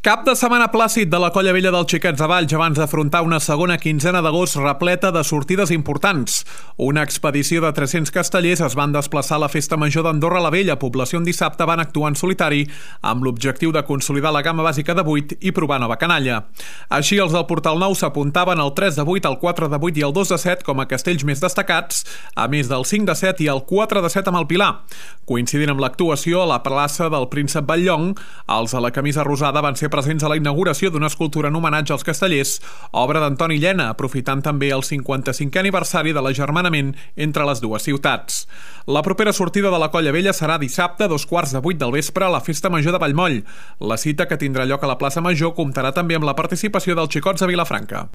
Cap de setmana plàcid de la Colla Vella dels Xiquets de Valls abans d'afrontar una segona quinzena d'agost repleta de sortides importants. Una expedició de 300 castellers es van desplaçar a la Festa Major d'Andorra la Vella, població on dissabte van actuar en solitari amb l'objectiu de consolidar la gamma bàsica de 8 i provar nova canalla. Així, els del Portal Nou s'apuntaven al 3 de 8, el 4 de 8 i el 2 de 7 com a castells més destacats, a més del 5 de 7 i el 4 de 7 amb el Pilar. Coincidint amb l'actuació a la plaça del Príncep Batllong, els de la camisa rosada van ser presents a la inauguració d'una escultura en homenatge als castellers, obra d'Antoni Llena, aprofitant també el 55è aniversari de l'agermanament entre les dues ciutats. La propera sortida de la Colla Vella serà dissabte a 7:15 del vespre a la Festa Major de Vallmoll. La cita, que tindrà lloc a la plaça Major, comptarà també amb la participació dels Xicots de Vilafranca.